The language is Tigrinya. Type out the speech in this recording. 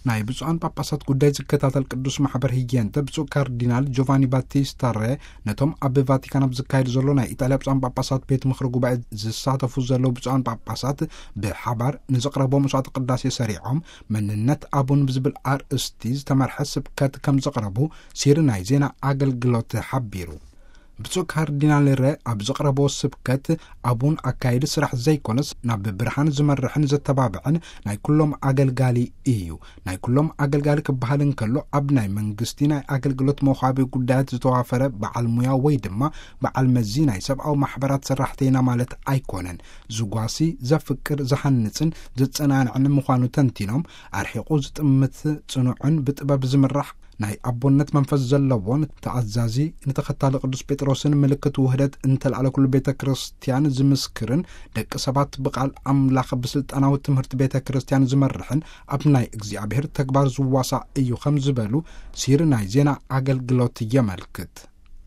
ናይ ብፁዓን ጳጳሳት ጉዳይ ዝከታተል ቅዱስ ማሕበር ህየንተ፣ ብፁዕ ካርዲናል ጆቫኒ ባቲስታ ሬ፣ ነቶም ኣብ ቫቲካን ኣብ ዝካየድ ዘሎ ናይ ኢጣልያ ብፁዓን ጳጳሳት ቤት ምኽሪ ጉባኤ ዝሳተፉ ዘለዉ ብፁዓን ጳጳሳት ብሓባር ንዘቕረቦ መስዋዕተ ቅዳሴ ሰሪዖም፣ መንነት ኣቡን ብዝብል ኣርእስቲ ዝተመርሐ ስብከት ከም ዘቕረቡ ሲሪ ናይ ዜና ኣገልግሎት ሓቢሩ። ብፁዕ ካርዲናል ሬ ኣብ ዘቕረቦ ስብከት፣ ኣቡን ኣካይዲ ስራሕ ዘይኮነስ፣ ናብ ብርሃን ዝመርሕን ዘተባብዕን ናይ ኩሎም ኣገልጋሊ እዩ። ናይ ኩሎም ኣገልጋሊ ክበሃል እንከሎ፣ ኣብ ናይ መንግስቲ ናይ ኣገልግሎት መውሃቢ ጉዳያት ዝተዋፈረ በዓል ሙያ ወይ ድማ በዓል መዚ ናይ ሰብኣዊ ማሕበራት ሰራሕተይና ማለት ኣይኮነን። ዝጓሲ፣ ዘፍቅር፣ ዝሃንጽን ዘጸናንዕን ምዃኑ ተንቲኖም፣ ኣርሒቑ ዝጥምት፣ ጽኑዕን ብጥበብ ዝምራሕ፣ ናይ ኣቦነት መንፈስ ዘለዎን ተኣዛዚ፣ ንተኸታሊ ቅዱስ ጴጥሮስን ምልክት ውህደት እንተልኣለ ኩሉ ቤተ ክርስቲያን ዝምስክርን፣ ደቂ ሰባት ብቓል ኣምላኽ ብስልጣናዊ ትምህርቲ ቤተ ክርስቲያን ዝመርሕን፣ ኣብ ናይ እግዚኣብሔር ተግባር ዝዋሳእ እዩ ከም ዝበሉ ሲሪ ናይ ዜና ኣገልግሎት የመልክት።